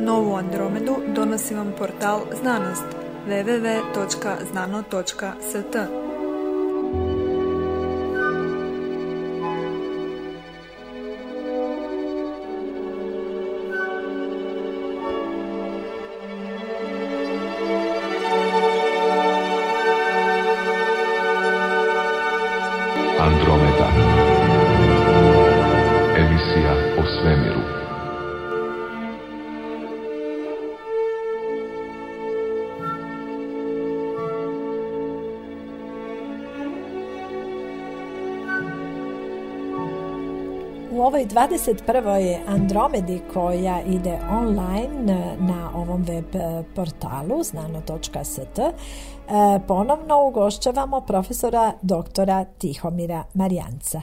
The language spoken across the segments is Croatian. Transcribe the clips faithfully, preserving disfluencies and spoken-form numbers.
Novu Andromedu donosi vam portal Znanost w w w točka znano točka s t. Andromeda. Emisija o svemiru. U ovoj dvadeset prvoj Andromedi koja ide online na ovom web portalu znano točka s t ponovno ugošćavamo profesora doktora Tihomira Marijanca.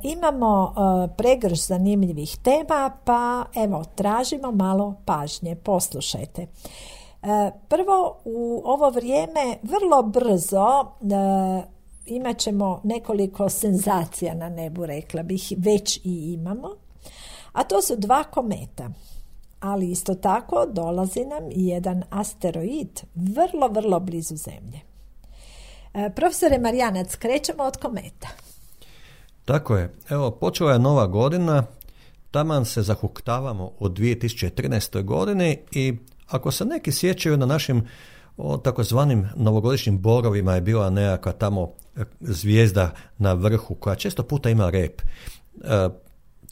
Imamo pregršt zanimljivih tema, pa evo tražimo malo pažnje. Poslušajte. Prvo, u ovo vrijeme vrlo brzo imat ćemo nekoliko senzacija na nebu, rekla bih, već i imamo, a to su dva kometa. Ali isto tako dolazi nam i jedan asteroid vrlo, vrlo blizu Zemlje. E, profesore Marijanac, krećemo od kometa. Tako je. Evo, počela je nova godina, taman se zahuktavamo u dvije tisuće trinaestoj godini i ako se neki sjećaju na našim o takozvanim novogodišnjim borovima je bila nekakva tamo zvijezda na vrhu koja često puta ima rep. E,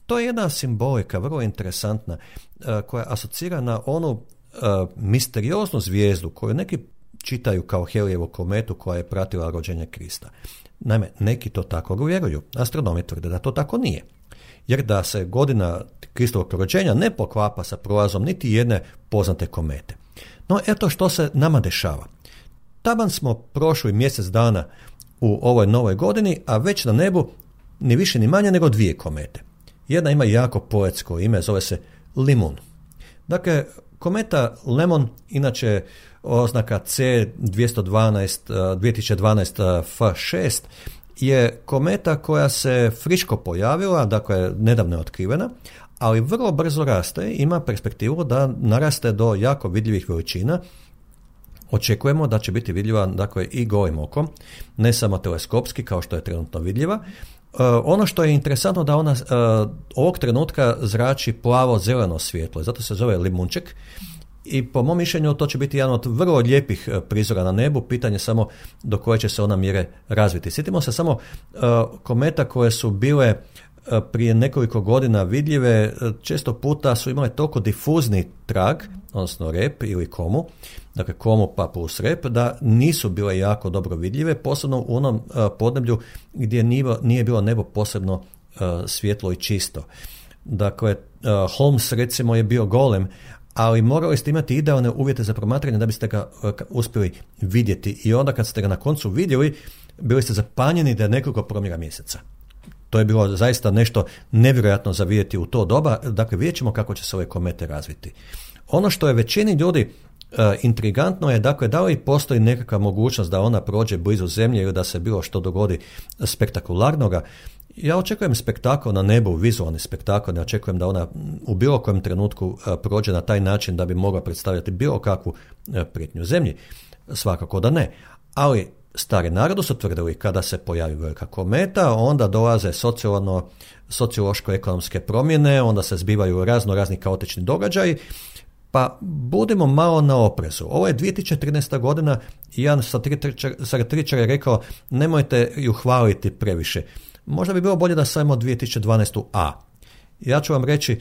to je jedna simbolika vrlo interesantna e, koja asocira na onu e, misterioznu zvijezdu koju neki čitaju kao Helijevu kometu koja je pratila rođenje Krista. Naime, neki to tako vjeruju. Astronomi tvrde da to tako nije. Jer da se godina Kristovog rođenja ne poklapa sa prolazom niti jedne poznate komete. No, eto što se nama dešava. Taman smo prošli mjesec dana u ovoj novoj godini, a već na nebu ni više ni manje nego dvije komete. Jedna ima jako poetsko ime, zove se Limun. Dakle, kometa Lemon, inače oznaka C dvjesto dvanaest, dvije tisuće dvanaest F šest, je kometa koja se friško pojavila, dakle nedavno je otkrivena, ali vrlo brzo raste, ima perspektivu da naraste do jako vidljivih veličina. Očekujemo da će biti vidljiva, dakle, i golim okom, ne samo teleskopski kao što je trenutno vidljiva. Uh, ono što je interesantno da ona uh, ovog trenutka zrači plavo-zeleno svjetlo, zato se zove limunček i po mom mišljenju to će biti jedan od vrlo lijepih prizora na nebu, pitanje samo do koje će se ona mjere razviti. Sjetimo se samo uh, kometa koje su bile prije nekoliko godina vidljive, često puta su imale toliko difuzni trag, odnosno rep ili komu, dakle komu pa plus rep, da nisu bile jako dobro vidljive, posebno u onom uh, podneblju gdje nije, nije bilo nebo posebno uh, svjetlo i čisto. Dakle, uh, Holmes recimo je bio golem, ali morali ste imati idealne uvjete za promatranje da biste ga uh, uspjeli vidjeti i onda kad ste ga na koncu vidjeli, bili ste zapanjeni da je nekoliko promjera mjeseca. To je bilo zaista nešto nevjerojatno za vidjeti u to doba. Dakle, vidjet ćemo kako će se ove komete razviti. Ono što je većini ljudi uh, intrigantno je, dakle, da li postoji nekakva mogućnost da ona prođe blizu Zemlje ili da se bilo što dogodi spektakularnoga. Ja očekujem spektakl na nebu, vizualni spektakl, ne očekujem da ona u bilo kojem trenutku uh, prođe na taj način da bi mogla predstavljati bilo kakvu uh, prijetnju Zemlji. Svakako da ne. Ali stari narodi su tvrdili kada se pojavi velika kometa, onda dolaze socijalno, sociološko-ekonomske promjene, onda se zbivaju razno razni kaotični događaji, pa budimo malo na oprezu. Ovo je dvije tisuće trinaesta godina i jedan satiričar je rekao nemojte ju hvaliti previše. Možda bi bilo bolje da samo dvije tisuće dvanaestu A. Ja ću vam reći,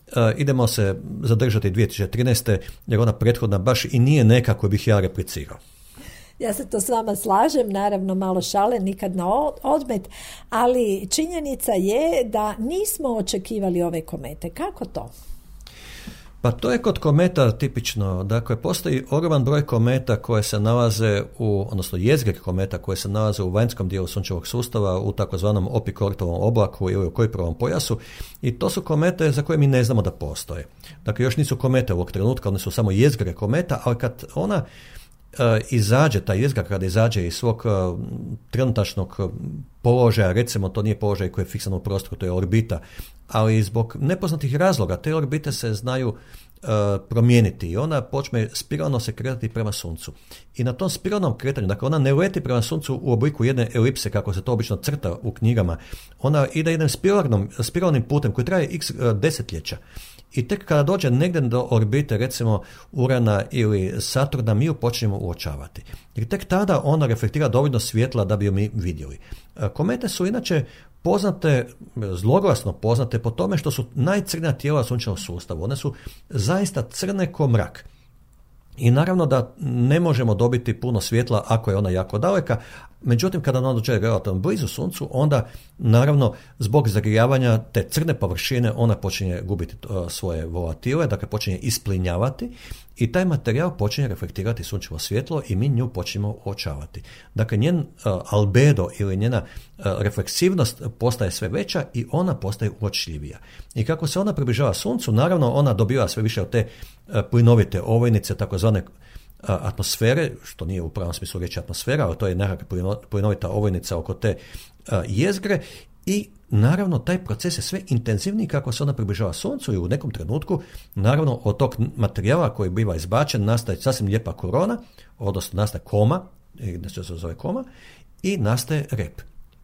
uh, idemo se zadržati dvije tisuće trinaeste jer ona prethodna baš i nije neka koju bih ja replicirao. Ja se to s vama slažem, naravno malo šale, nikad na odmet, ali činjenica je da nismo očekivali ove komete. Kako to? Pa to je kod kometa tipično. Dakle, postoji ogroman broj kometa koje se nalaze u, odnosno jezgre kometa koje se nalaze u vanjskom dijelu sunčevog sustava, u takozvanom Opikortovom oblaku ili u Kuiperovom pojasu, i to su komete za koje mi ne znamo da postoje. Dakle, još nisu komete ovog trenutka, one su samo jezgre kometa, ali kad ona izađe, ta jezgra kada izađe iz svog trenutačnog položaja, recimo to nije položaj koji je fiksan u prostoru, to je orbita, ali zbog nepoznatih razloga te orbite se znaju uh, promijeniti i ona počne spiralno se kretati prema Suncu. I na tom spiralnom kretanju, dakle ona ne leti prema Suncu u obliku jedne elipse kako se to obično crta u knjigama, ona ide jednim spiralnim, spiralnim putem koji traje x desetljeća. I tek kada dođe negdje do orbite, recimo Urana ili Saturna, mi ju počnemo uočavati. Jer tek tada ona reflektira dovoljno svjetla da bi ju mi vidjeli. Komete su inače poznate, zloglasno poznate po tome što su najcrnija tijela sunčevog sustava. One su zaista crne ko mrak. I naravno da ne možemo dobiti puno svjetla ako je ona jako daleka, međutim kada ona dođe relativno blizu Suncu, onda naravno zbog zagrijavanja te crne površine ona počinje gubiti uh, svoje volatile, dakle počinje isplinjavati i taj materijal počinje reflektirati sunčevo svjetlo i mi nju počinjemo uočavati. Dakle, njen uh, albedo ili njena uh, refleksivnost postaje sve veća i ona postaje uočljivija. I kako se ona približava Suncu, naravno ona dobiva sve više od te uh, plinovite ovojnice, takozvane atmosfere, što nije u pravom smislu reći atmosfera, ali to je nekakva plinovita ovojnica oko te a, jezgre i naravno taj proces je sve intenzivniji kako se ona približava Suncu i u nekom trenutku naravno od tog materijala koji biva izbačen nastaje sasvim lijepa korona, odnosno nastaje koma, što se zove koma, i nastaje rep.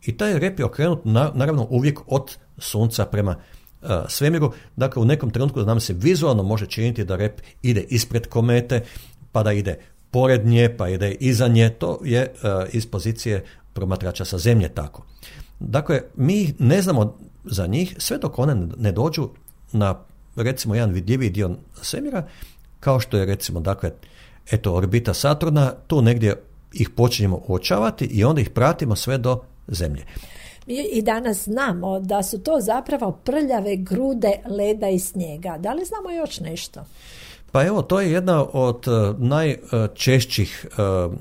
I taj rep je okrenut na, naravno uvijek od Sunca prema a, svemiru, dakle u nekom trenutku nam se vizualno može činiti da rep ide ispred komete, pa da ide pored nje, pa ide iza nje, to je uh, iz pozicije promatrača sa zemlje tako. Dakle, mi ne znamo za njih sve dok one ne dođu na recimo jedan vidljiviji dio svemira, kao što je recimo dakle, eto orbita Saturna, tu negdje ih počinjemo uočavati i onda ih pratimo sve do zemlje. Mi i danas znamo da su to zapravo prljave grude leda i snijega. Da li znamo još nešto? Pa evo, to je jedna od uh, najčešćih, uh,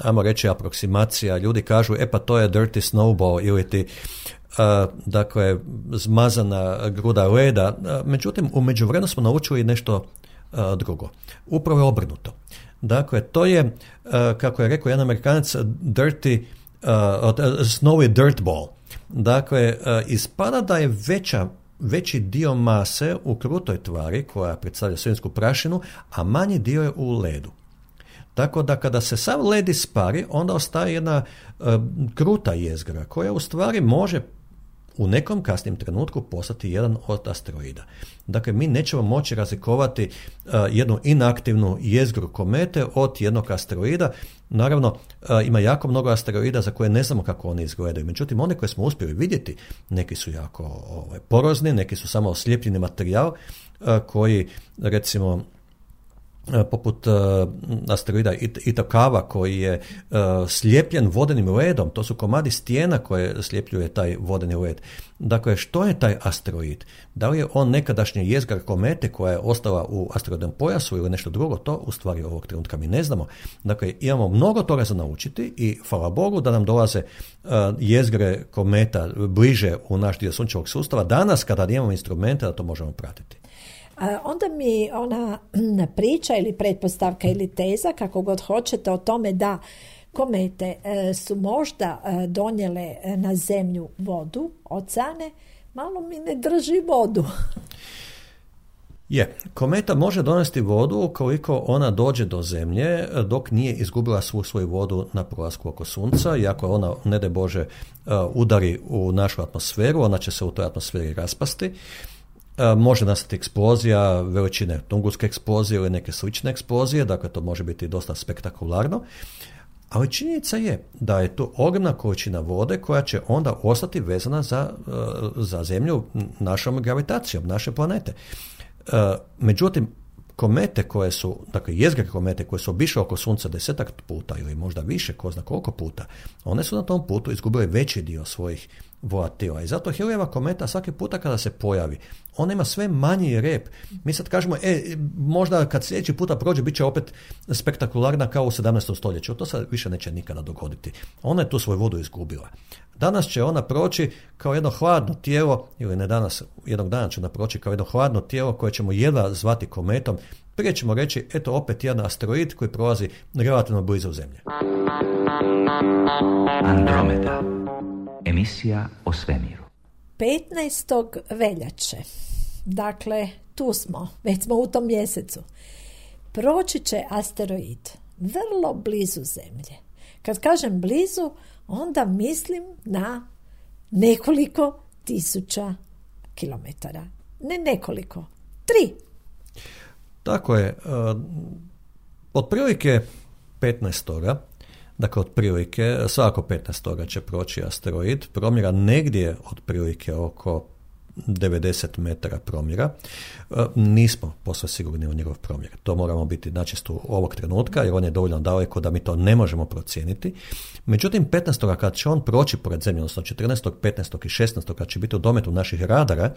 ajmo reći, aproksimacija. Ljudi kažu, e pa to je dirty snowball ili ti, uh, dakle, zmazana gruda leda. Uh, međutim, u međuvremenu smo naučili nešto uh, drugo. Upravo je obrnuto. Dakle, to je, uh, kako je rekao jedan Amerikanac, dirty, uh, snowy dirt ball. Dakle, uh, ispada da je veća veći dio mase u krutoj tvari koja predstavlja svemirsku prašinu, a manji dio je u ledu. Tako da kada se sav led ispari, onda ostaje jedna uh, kruta jezgra koja u stvari može u nekom kasnijem trenutku postati jedan od asteroida. Dakle, mi nećemo moći razlikovati uh, jednu inaktivnu jezgru komete od jednog asteroida. Naravno, uh, ima jako mnogo asteroida za koje ne znamo kako oni izgledaju. Međutim, one koje smo uspjeli vidjeti, neki su jako ovaj, porozni, neki su samo oslijepljeni materijal uh, koji, recimo, poput uh, asteroida Itokawa koji je uh, slijepljen vodenim ledom, to su komadi stijena koje slijepljuje taj vodeni led. Dakle, što je taj asteroid? Da li je on nekadašnja jezgra komete koja je ostala u asteroidnom pojasu ili nešto drugo? To u stvari ovog trenutka mi ne znamo. Dakle, imamo mnogo toga za naučiti i hvala Bogu da nam dolaze uh, jezgre kometa bliže u naš dio sunčevog sustava danas kada imamo instrumente da to možemo pratiti. Onda mi ona priča ili pretpostavka ili teza, kako god hoćete, o tome da komete su možda donijele na zemlju vodu, oceane, malo mi ne drži vodu. Je, kometa može donesti vodu ukoliko ona dođe do zemlje dok nije izgubila svu svoju vodu na prolasku oko Sunca i ako ona, ne daj Bože, udari u našu atmosferu, ona će se u toj atmosferi raspasti. Može nastati eksplozija veličine Tungurske eksplozije ili neke slične eksplozije, dakle to može biti dosta spektakularno, ali činjenica je da je to ogromna količina vode koja će onda ostati vezana za, za Zemlju našom gravitacijom, naše planete. Međutim, komete koje su, dakle jezgre komete koje su obišle oko Sunca desetak puta ili možda više, ko zna koliko puta, one su na tom putu izgubile veći dio svojih volatila. I zato Halleyjeva kometa svaki puta kada se pojavi, ona ima sve manji rep. Mi sad kažemo, e, možda kad sljedeći puta prođe, bit će opet spektakularna kao u sedamnaestom stoljeću. To se više neće nikada dogoditi. Ona je tu svoju vodu izgubila. Danas će ona proći kao jedno hladno tijelo, ili ne danas, jednog dana će ona proći kao jedno hladno tijelo koje ćemo jedva zvati kometom. Prije ćemo reći, eto opet jedan asteroid koji prolazi relativno blizu Zemlje. Andromeda. Emisija o svemiru. petnaestog veljače, dakle tu smo, već smo u tom mjesecu, proći će asteroid vrlo blizu Zemlje. Kad kažem blizu, onda mislim na nekoliko tisuća kilometara. Ne nekoliko, tri. Tako je. Otprilike petnaestoga Dakle, otprilike, svako petnaestoga će proći asteroid, promjera negdje otprilike oko devedeset metara promjera. Nismo posve sigurni u njegov promjer. To moramo biti načisto ovog trenutka, jer on je dovoljno daleko da mi to ne možemo procijeniti. Međutim, petnaestoga kad će on proći pored Zemlje, odnosno četrnaestog, petnaestog i šesnaestog kad će biti u dometu naših radara,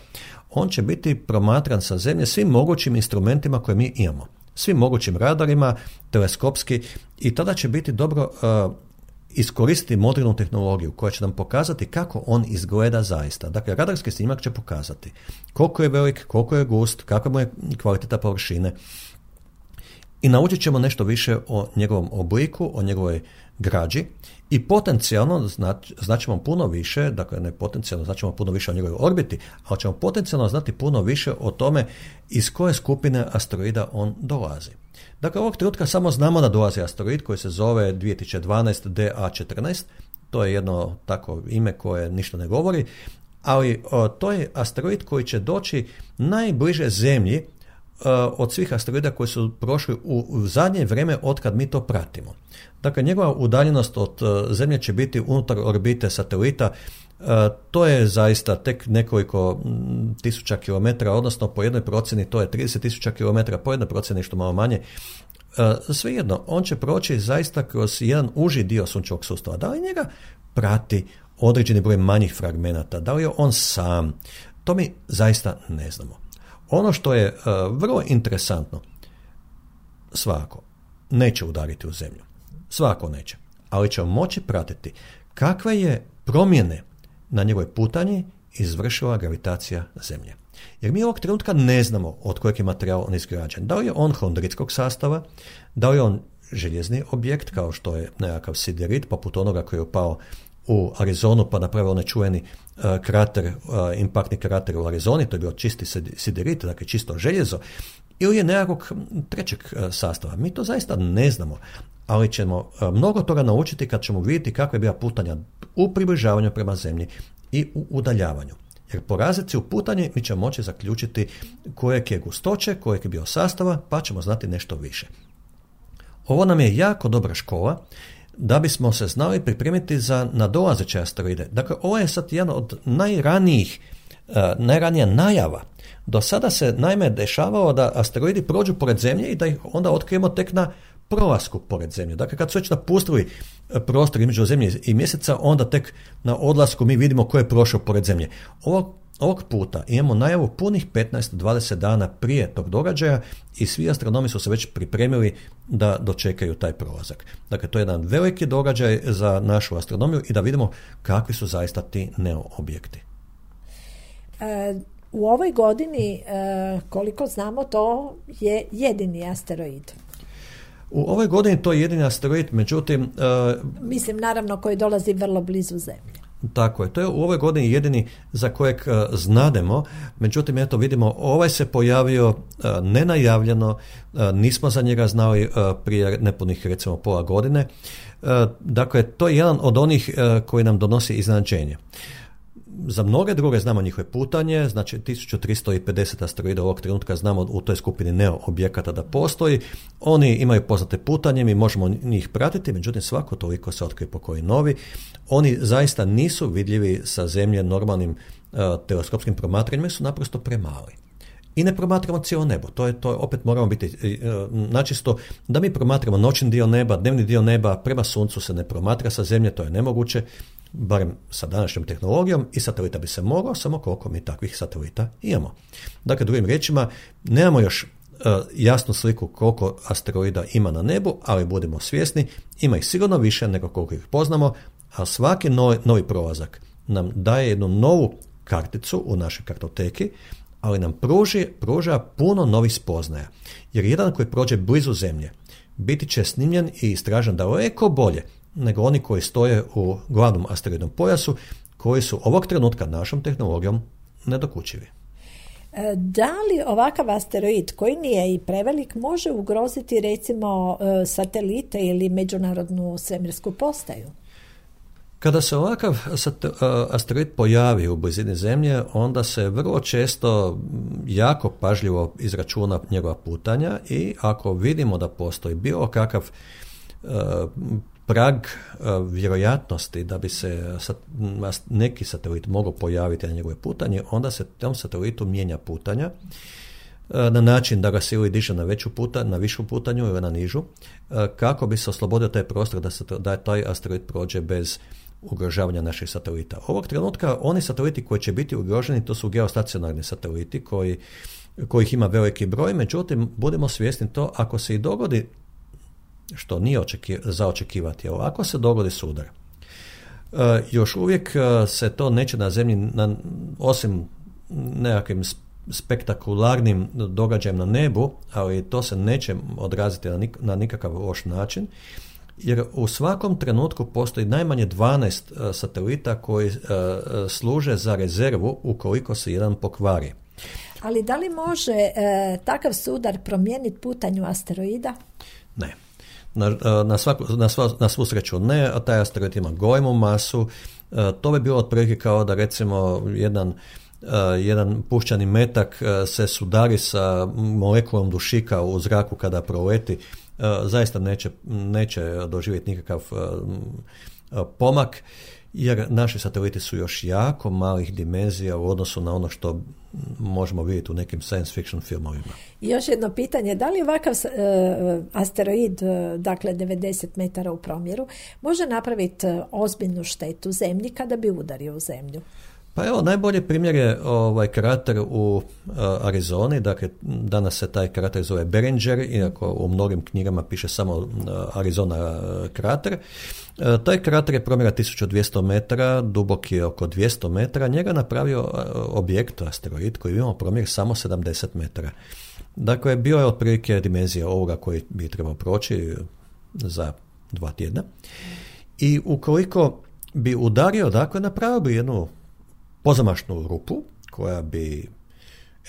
on će biti promatran sa Zemlje svim mogućim instrumentima koje mi imamo. Svim mogućim radarima, teleskopski, i tada će biti dobro uh, iskoristiti modernu tehnologiju koja će nam pokazati kako on izgleda zaista. Dakle, radarski snimak će pokazati koliko je velik, koliko je gust, kakva mu je kvaliteta površine i naučit ćemo nešto više o njegovom obliku, o njegovoj građi i potencijalno znat, znaćemo puno više, dakle ne potencijalno, znaćemo puno više o njegovoj orbiti, ali ćemo potencijalno znati puno više o tome iz koje skupine asteroida on dolazi. Dakle, ovog trenutka samo znamo da dolazi asteroid koji se zove dvije tisuće dvanaest D A četrnaest, to je jedno tako ime koje ništa ne govori, ali o, to je asteroid koji će doći najbliže Zemlji od svih asteroida koji su prošli u, u zadnje vrijeme od kad mi to pratimo. Dakle, njegova udaljenost od Zemlje će biti unutar orbite satelita. To je zaista tek nekoliko tisuća kilometara, odnosno po jednoj procjeni to je trideset tisuća kilometara, po jednoj procjeni što malo manje. Svejedno, on će proći zaista kroz jedan uži dio sunčevog sustava. Da li njega prati određeni broj manjih fragmenata? Da li je on sam? To mi zaista ne znamo. Ono što je uh, vrlo interesantno, svako neće udariti u Zemlju. Svako neće. Ali ćemo moći pratiti kakve je promjene na njegovoj putanji izvršila gravitacija Zemlje. Jer mi ovog trenutka ne znamo od kojeg je materijal on izgrađen. Da li je on hondritskog sastava, da li je on željezni objekt, kao što je nekakav siderit, poput onoga koji je upao u Arizonu pa napravio onaj čuveni uh, krater, uh, impaktni krater u Arizoni, to je bio čisti siderit, dakle čisto željezo, ili je nekakvog trećeg uh, sastava. Mi to zaista ne znamo, ali ćemo uh, mnogo toga naučiti kad ćemo vidjeti kakva je bila putanja u približavanju prema Zemlji i u udaljavanju. Jer po razlici u putanji mi ćemo moći zaključiti kojeg je gustoće, kojeg je bio sastava, pa ćemo znati nešto više. Ovo nam je jako dobra škola da bismo se znali pripremiti za nadolazeće asteroide. Dakle, ovo je sad jedan od najranijih, uh, najranija najava. Do sada se naime dešavalo da asteroidi prođu pored Zemlje i da ih onda otkrijemo tek na prolasku pored Zemlje. Dakle, kad su već napustili prostor između Zemlje i Mjeseca, onda tek na odlasku mi vidimo ko je prošao pored Zemlje. Ovog, ovog puta imamo najavu punih petnaest do dvadeset dana prije tog događaja i svi astronomi su se već pripremili da dočekaju taj prolazak. Dakle, to je jedan veliki događaj za našu astronomiju i da vidimo kakvi su zaista ti neo objekti. E, u ovoj godini, e, koliko znamo, to je jedini asteroid. U ovoj godini to je jedini asteroid, međutim... Uh, Mislim, naravno, koji dolazi vrlo blizu Zemlje. Tako je, to je u ovoj godini jedini za kojeg uh, znademo, međutim, eto vidimo, ovaj se pojavio uh, nenajavljeno, uh, nismo za njega znali uh, prije nepunih, recimo, pola godine. Uh, dakle, to je jedan od onih uh, koji nam donosi iznenađenje. Za mnoge druge znamo njihove putanje, znači tisuću tristo pedeset asteroida ovog trenutka znamo u toj skupini neo objekata da postoji. Oni imaju poznate putanje, mi možemo njih pratiti, međutim svako toliko se otkrije po koji novi. Oni zaista nisu vidljivi sa Zemlje normalnim uh, teleskopskim promatranjima, su naprosto premali. I ne promatramo cijelo nebo. To je, to je, opet moramo biti uh, načisto da mi promatramo noćni dio neba, dnevni dio neba, prema suncu se ne promatra sa Zemlje, to je nemoguće. barem sa današnjom tehnologijom, i satelita bi se mogao, samo koliko mi takvih satelita imamo. Dakle, drugim riječima, nemamo još uh, jasnu sliku koliko asteroida ima na nebu, ali budemo svjesni, ima ih sigurno više nego koliko ih poznamo, a svaki novi, novi prolazak nam daje jednu novu karticu u našoj kartoteki, ali nam pruži, pruža puno novih spoznaja. Jer jedan koji prođe blizu Zemlje biti će snimljen i istražen daleko bolje nego oni koji stoje u glavnom asteroidnom pojasu, koji su ovog trenutka našom tehnologijom nedokučivi. Da li ovakav asteroid, koji nije i prevelik, može ugroziti recimo satelite ili međunarodnu svemirsku postaju? Kada se ovakav asteroid pojavi u blizini Zemlje, onda se vrlo često jako pažljivo izračuna njegova putanja i ako vidimo da postoji bilo kakav uh, prag uh, vjerojatnosti da bi se sat, neki satelit mogao pojaviti na njegove putanje, onda se tom satelitu mijenja putanja uh, na način da ga se ili diže na veću puta, na višu putanju ili na nižu, uh, kako bi se oslobodio taj prostor da, se, da taj asteroid prođe bez ugrožavanja naših satelita. Ovog trenutka oni sateliti koji će biti ugroženi, to su geostacionarni sateliti koji, kojih ima veliki broj, međutim budemo svjesni to, ako se i dogodi, što nije očeki, za očekivati, ali ako se dogodi sudar, uh, još uvijek uh, se to neće na Zemlji, na, osim nekakvim spektakularnim događajem na nebu, ali to se neće odraziti na, nik, na nikakav loš način, jer u svakom trenutku postoji najmanje dvanaest uh, satelita koji uh, služe za rezervu ukoliko se jedan pokvari. Ali da li može uh, takav sudar promijeniti putanju asteroida? Ne. Na, na, svaku, na, sva, na svu sreću ne, a taj asteroid ima golemu masu. Uh, to bi bilo otprilike kao da recimo jedan, uh, jedan puščani metak uh, se sudari sa molekulom dušika u zraku kada proleti. Uh, zaista neće, neće doživjeti nikakav uh, uh, pomak, jer naši sateliti su još jako malih dimenzija u odnosu na ono što možemo vidjeti u nekim science fiction filmovima. I još jedno pitanje, da li ovakav uh, asteroid, uh, dakle devedeset metara u promjeru, može napraviti uh, ozbiljnu štetu Zemlji kada bi udario u Zemlju? Pa evo, najbolji primjer je ovaj krater u uh, Arizoni, dakle danas se taj krater zove Beringer, iako u mnogim knjigama piše samo uh, Arizona uh, krater. Uh, taj krater je promjera tisuću dvjesto metara, dubok je oko dvjesto metara, njega napravio uh, objekt, asteroid, koji imao promjer samo sedamdeset metara. Dakle, bio je otprilike dimenzija ovoga koji bi trebao proći za dva tjedna. I ukoliko bi udario, dakle, napravio bi jednu pozamašnu rupu koja bi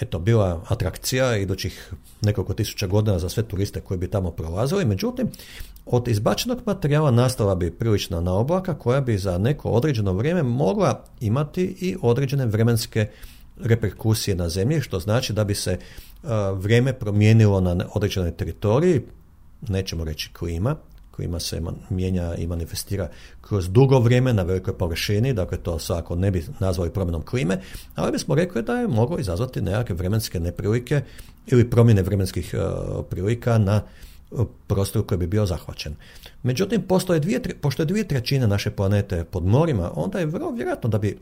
eto bila atrakcija idućih nekoliko tisuća godina za sve turiste koji bi tamo prolazili. Međutim, od izbačenog materijala nastala bi prilična naoblaka koja bi za neko određeno vrijeme mogla imati i određene vremenske reperkusije na Zemlji, što znači da bi se uh, vrijeme promijenilo na određenoj teritoriji, nećemo reći klima, klima se mijenja i manifestira kroz dugo vrijeme na velikoj površini, dakle to svakako ne bi nazvali promjenom klime, ali bismo rekli da je moglo izazvati nekakve vremenske neprilike ili promjene vremenskih uh, prilika na uh, prostoru koji bi bio zahvaćen. Međutim, postoje dvije, pošto je dvije trećine naše planete pod morima, onda je vrlo vjerojatno da bi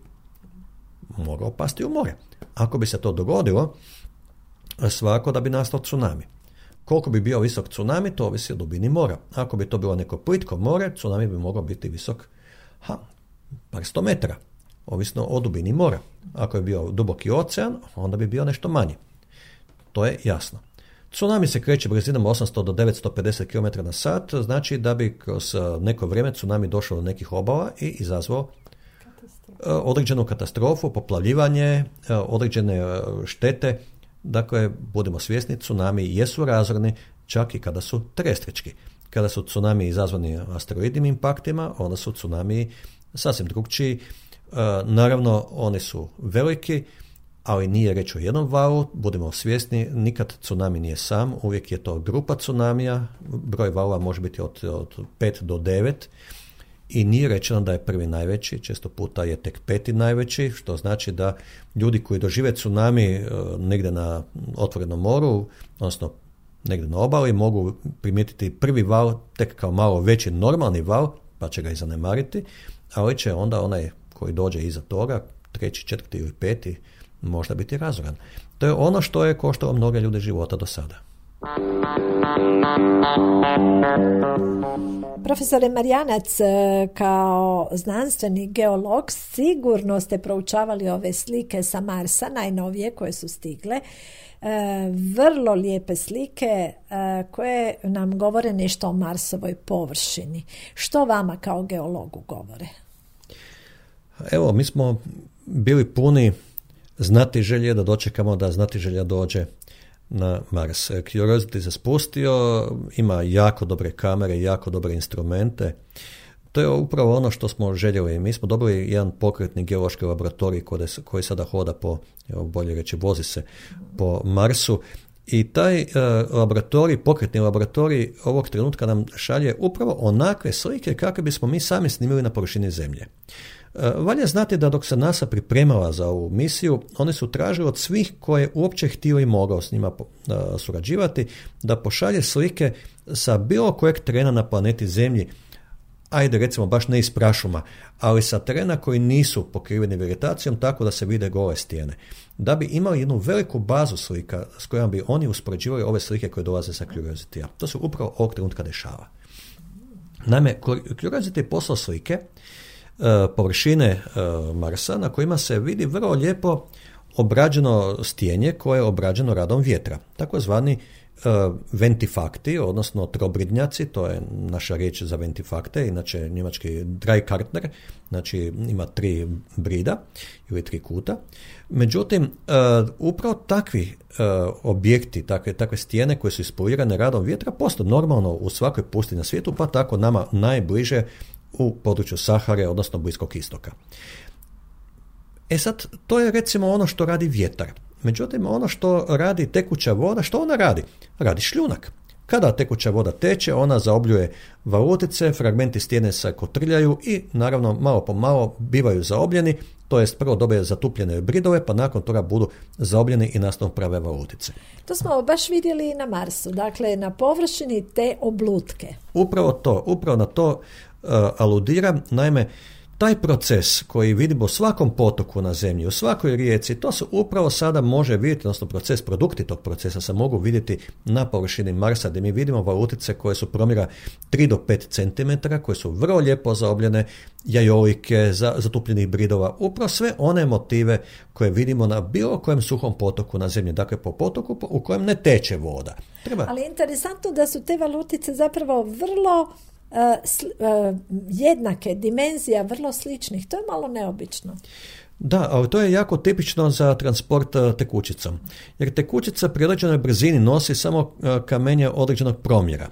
mogao pasti u more. Ako bi se to dogodilo, svakako da bi nastao tsunami. Koliko bi bio visok tsunami, to ovisi o dubini mora. Ako bi to bilo neko plitko more, tsunami bi mogao biti visok ha, par sto metara, ovisno o dubini mora. Ako je bio duboki ocean, onda bi bio nešto manji. To je jasno. Tsunami se kreće brzinom osamsto do devetsto pedeset kilometara na sat, znači da bi kroz neko vrijeme tsunami došao do nekih obala i izazvao određenu katastrofu, poplavljivanje, određene štete. Dakle, budemo svjesni, tsunami jesu razorni čak i kada su terestrički. Kada su tsunami izazvani asteroidnim impaktima, onda su tsunami sasvim drugčiji. E, naravno, oni su veliki, ali nije reč o jednom valu. Budemo svjesni, nikad tsunami nije sam, uvijek je to grupa tsunamija, broj valova može biti od, od pet do devet. I nije rečeno da je prvi najveći, često puta je tek peti najveći, što znači da ljudi koji dožive tsunami negdje na otvorenom moru, odnosno negdje na obali, mogu primijetiti prvi val tek kao malo veći normalni val, pa će ga i zanemariti, ali će onda onaj koji dođe iza toga, treći, četvrti ili peti, možda biti razoran. To je ono što je koštalo mnoge ljude života do sada. Profesore Marjanac, kao znanstveni geolog sigurno ste proučavali ove slike sa Marsa, najnovije koje su stigle. Vrlo lijepe slike koje nam govore nešto o Marsovoj površini. Što vama kao geologu govore? Evo, mi smo bili puni znatiželje da dočekamo da znatiželja dođe na Mars. Curiosity se spustio, ima jako dobre kamere, jako dobre instrumente. To je upravo ono što smo željeli. Mi smo dobili jedan pokretni geološki laboratorij koji sada hoda po, evo, bolje reći, vozi se po Marsu. I taj uh, laboratorij, pokretni laboratorij ovog trenutka nam šalje upravo onakve slike kakve bismo mi sami snimili na površini Zemlje. Uh, valja znati da dok se NASA pripremala za ovu misiju, oni su tražili od svih koje uopće htio i mogao s njima uh, surađivati, da pošalje slike sa bilo kojeg terena na planeti Zemlji, ajde recimo baš ne iz prašuma, ali sa terena koji nisu pokriveni vegetacijom, tako da se vide gole stijene. Da bi imali jednu veliku bazu slika s kojom bi oni uspoređivali ove slike koje dolaze sa Curiosity-a. To se upravo ovog trenutka dešava. Naime, Curiosity je poslao slike uh, površine uh, Marsa na kojima se vidi vrlo lijepo obrađeno stijenje koje je obrađeno radom vjetra. Takozvani Uh, ventifakti, odnosno trobridnjaci, to je naša riječ za ventifakte, inače njemački Dreikartner, znači ima tri brida ili tri kuta. Međutim, uh, upravo takvi uh, objekti, takve, takve stijene koje su ispolirane radom vjetra postoje normalno u svakoj pustinji na svijetu, pa tako nama najbliže u području Sahare, odnosno Bliskog istoka. E sad, to je recimo ono što radi vjetar. Međutim, ono što radi tekuća voda, što ona radi? Radi šljunak. Kada tekuća voda teče, ona zaobljuje valutice, fragmenti stijene se kotrljaju i naravno malo po malo bivaju zaobljeni, to jest prvo dobije zatupljene bridove, pa nakon toga budu zaobljeni i nastanu prave valutice. To smo baš vidjeli i na Marsu, dakle na površini te oblutke. Upravo to, upravo na to uh, aludiram, naime, taj proces koji vidimo u svakom potoku na Zemlji, u svakoj rijeci, to se upravo sada može vidjeti, odnosno proces, produkti tog procesa se mogu vidjeti na površini Marsa, gdje mi vidimo valutice koje su promjera tri do pet centimetara, koje su vrlo lijepo zaobljene, jajolike, zatupljenih bridova, upravo sve one motive koje vidimo na bilo kojem suhom potoku na Zemlji, dakle po potoku u kojem ne teče voda. Treba... Ali interesantno da su te valutice zapravo vrlo Uh, sl, uh, jednake, dimenzija vrlo sličnih, to je malo neobično. Da, ali to je jako tipično za transport uh, tekućicom, jer tekućica pri određenoj brzini nosi samo uh, kamenje određenog promjera.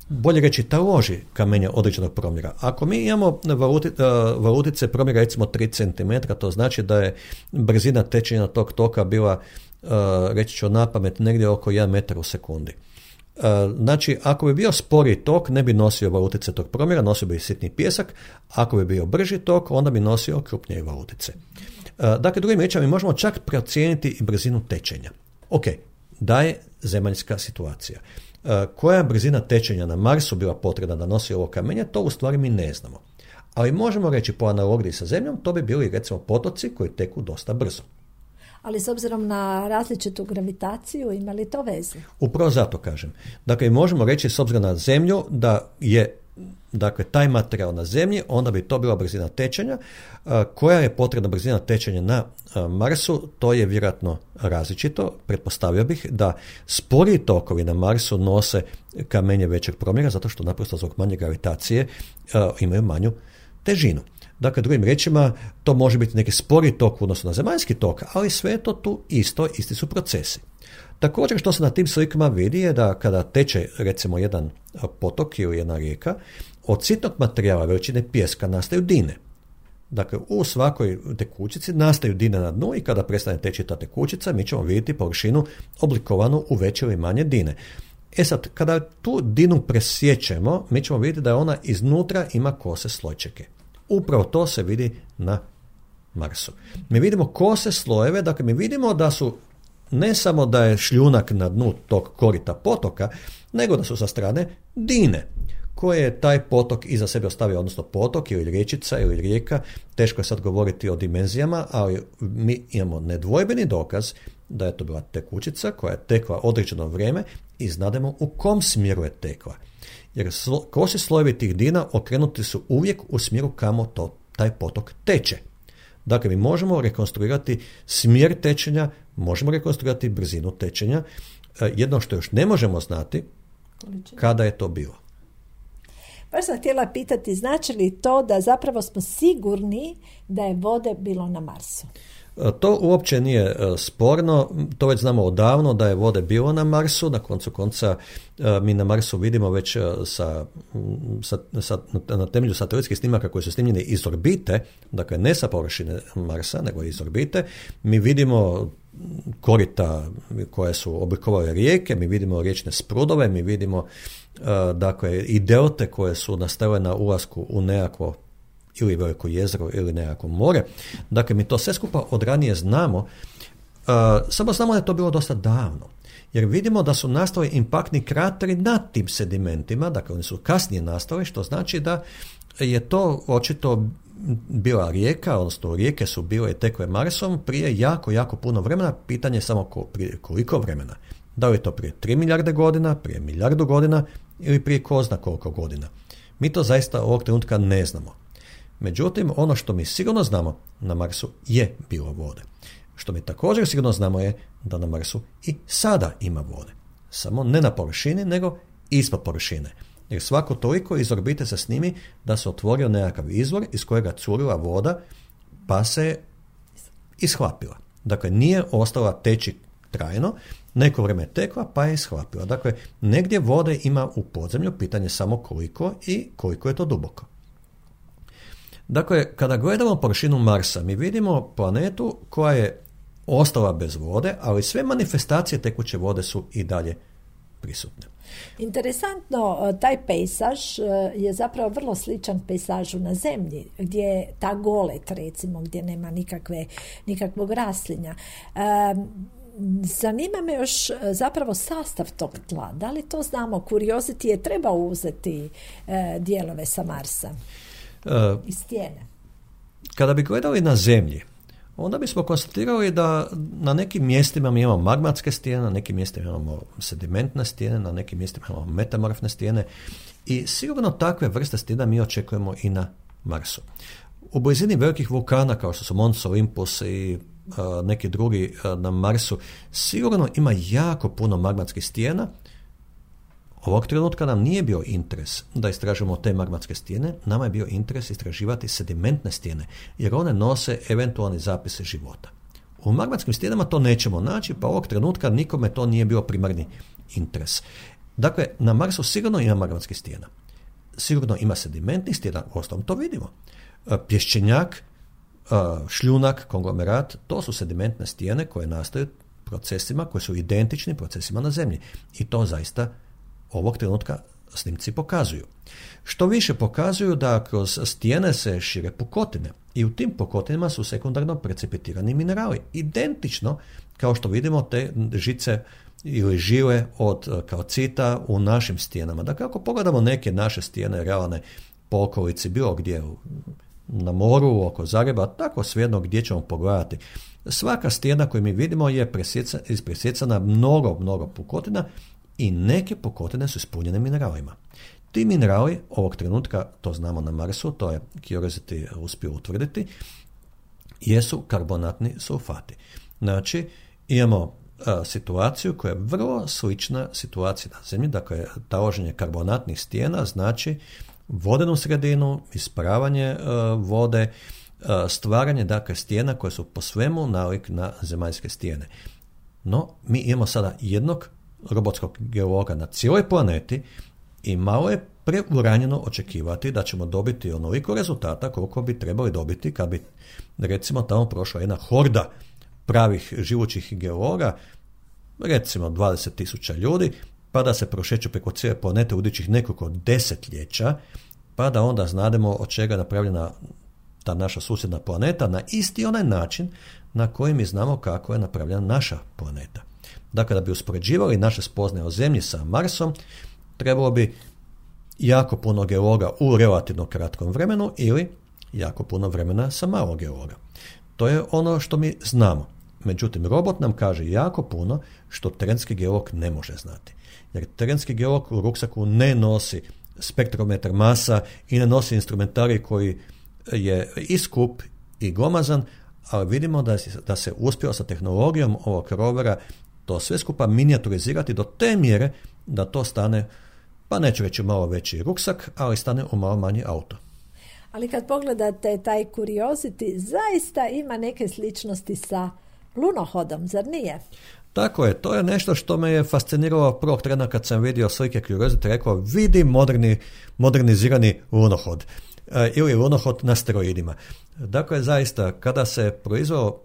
Bolje reći, taloži kamenje određenog promjera. Ako mi imamo valuti, uh, valutice promjera recimo tri centimetra, to znači da je brzina tečenja tog toka bila, uh, reći ću napamet, negdje oko jedan metar u sekundi. Znači, ako bi bio spori tok, ne bi nosio valutice tog promjera, nosio bi sitni pijesak. Ako bi bio brži tok, onda bi nosio krupnije valutice. Dakle, drugim riječima, mi možemo čak procijeniti i brzinu tečenja. Ok, da je zemaljska situacija. Koja je brzina tečenja na Marsu bila potrebna da nosi ovo kamenje, to u stvari mi ne znamo. Ali možemo reći po analogiji sa Zemljom, to bi bili recimo potoci koji teku dosta brzo. Ali s obzirom na različitu gravitaciju, ima li to veze? Upravo zato kažem. Dakle, možemo reći s obzirom na Zemlju da je, dakle, taj materijal na Zemlji, onda bi to bila brzina tečenja. Koja je potrebna brzina tečenja na Marsu, to je vjerojatno različito. Pretpostavio bih da sporiji tokovi na Marsu nose kamenje većeg promjera, zato što naprosto zbog manje gravitacije imaju manju težinu. Dakle, drugim riječima, to može biti neki spori tok odnosno na zemaljski tok, ali sve je to tu isto, isti su procesi. Također, što se na tim slikama vidi je da kada teče recimo jedan potok ili jedna rijeka, od sitnog materijala veličine pijeska nastaju dine. Dakle, u svakoj tekućici nastaju dine na dnu i kada prestane teći ta tekućica, mi ćemo vidjeti površinu oblikovanu u veće ili manje dine. E sad, kada tu dinu presjećemo, mi ćemo vidjeti da ona iznutra ima kose slojčeke. Upravo to se vidi na Marsu. Mi vidimo kose slojeve, dakle mi vidimo da su ne samo da je šljunak na dnu tog korita potoka, nego da su sa strane dine koje je taj potok iza sebe ostavio, odnosno potok ili riječica ili rijeka, teško je sad govoriti o dimenzijama, ali mi imamo nedvojbeni dokaz da je to bila tekućica koja je tekla određeno vrijeme i znademo u kom smjeru je tekla. Jer kosi slojevi tih dina okrenuti su uvijek u smjeru kamo to, taj potok teče. Dakle, mi možemo rekonstruirati smjer tečenja, možemo rekonstruirati brzinu tečenja. Jedno što još ne možemo znati, kada je to bilo. Baš sam htjela pitati, znači li to da zapravo smo sigurni da je vode bilo na Marsu? To uopće nije sporno, to već znamo odavno da je vode bilo na Marsu, na koncu konca mi na Marsu vidimo već sa, sa, sa, na temelju satelitskih snimaka koji su snimljeni iz orbite, dakle ne sa površine Marsa, nego iz orbite, mi vidimo korita koje su oblikovale rijeke, mi vidimo riječne sprudove, mi vidimo dakle i delte koje su nastale na ulasku u nekakvo ili veliko jezero ili nekako more. Dakle, mi to sve skupa od ranije znamo, uh, samo znamo da je to bilo dosta davno. Jer vidimo da su nastali impaktni krateri nad tim sedimentima, dakle oni su kasnije nastali, što znači da je to očito bila rijeka, odnosno rijeke su bile i tekle Marsom prije jako, jako puno vremena, pitanje je samo ko, prije koliko vremena. Da li je to prije tri milijarde godina, prije milijardu godina ili prije ko zna koliko godina. Mi to zaista ovog trenutka ne znamo. Međutim, ono što mi sigurno znamo na Marsu je bilo vode. Što mi također sigurno znamo je da na Marsu i sada ima vode. Samo ne na površini, nego ispod površine. Jer svako toliko iz orbite se snimi da se otvorio nekakav izvor iz kojega curila voda pa se ishlapila. Dakle, nije ostala teći trajno, neko vrijeme je tekla pa je ishlapila. Dakle, negdje vode ima u podzemlju, pitanje samo koliko i koliko je to duboko. Dakle, kada gledamo površinu Marsa, mi vidimo planetu koja je ostala bez vode, ali sve manifestacije tekuće vode su i dalje prisutne. Interesantno, taj pejsaž je zapravo vrlo sličan pejsažu na Zemlji, gdje je ta golet, recimo, gdje nema nikakve, nikakvog raslinja. Zanima me još zapravo sastav tog tla. Da li to znamo? Curiosity je trebao uzeti dijelove sa Marsa. I stijene. Kada bi gledali na Zemlji, onda bismo konstatirali da na nekim mjestima mi imamo magmatske stijene, na nekim mjestima imamo sedimentne stijene, na nekim mjestima imamo metamorfne stijene i sigurno takve vrste stijena mi očekujemo i na Marsu. U blizini velikih vulkana kao što su Mons Olympus i uh, neki drugi uh, na Marsu sigurno ima jako puno magmatskih stijena. Ovog trenutka nam nije bio interes da istražujemo te magmatske stijene, nama je bio interes istraživati sedimentne stijene, jer one nose eventualni zapise života. U magmatskim stijenama to nećemo naći, pa ovog trenutka nikome to nije bio primarni interes. Dakle, na Marsu sigurno ima magmatskih stijena. Sigurno ima sedimentnih stijena, uostalom to vidimo. Pješčenjak, šljunak, konglomerat, to su sedimentne stijene koje nastaju procesima koji su identični procesima na Zemlji. I to zaista ovog trenutka snimci pokazuju. Što više pokazuju da kroz stijene se šire pukotine i u tim pukotinama su sekundarno precipitirani minerali. Identično kao što vidimo te žice ili žile od kalcita u našim stijenama. Dakle, ako pogledamo neke naše stijene realne po okolici, bilo gdje na moru, oko Zagreba, tako svejedno gdje ćemo pogledati. Svaka stijena koju mi vidimo je presjecana mnogo, mnogo pukotina i neke pukotine su ispunjene mineralima. Ti minerali ovog trenutka, to znamo na Marsu, to je Curiosity uspio utvrditi, jesu karbonatni sulfati. Znači, imamo a, situaciju koja je vrlo slična situaciji na Zemlji, dakle, taloženje karbonatnih stijena znači vodenu sredinu, isparavanje a, vode, a, stvaranje dakle stijena koje su po svemu nalik na zemaljske stijene. No, mi imamo sada jednog robotskog geologa na cijeloj planeti i malo je preuranjeno očekivati da ćemo dobiti onoliko rezultata koliko bi trebali dobiti kad bi recimo tamo prošla jedna horda pravih živućih geologa, recimo dvadeset tisuća ljudi, pa da se prošeću preko cijele planete u idućih nekoliko desetljeća, pa da onda znademo od čega je napravljena ta naša susjedna planeta na isti onaj način na koji mi znamo kako je napravljena naša planeta. Dakle, da bi uspoređivali naše spoznaje o Zemlji sa Marsom, trebalo bi jako puno geologa u relativno kratkom vremenu ili jako puno vremena sa malo geologa. To je ono što mi znamo. Međutim, robot nam kaže jako puno što terenski geolog ne može znati. Jer terenski geolog u ruksaku ne nosi spektrometar masa i ne nosi instrumentarij koji je i skup i glomazan, ali vidimo da, da se uspjelo sa tehnologijom ovog rovera to sve skupa minijaturizirati do te mjere da to stane, pa neću reći malo veći ruksak, ali stane u malo manji auto. Ali kad pogledate taj Curiosity, zaista ima neke sličnosti sa lunohodom, zar nije? Tako je, to je nešto što me je fasciniralo prvog trena kad sam vidio slike Curiosity, rekao vidi moderni, modernizirani lunohod e, ili lunohod na steroidima. Dakle, zaista, kada se proizveo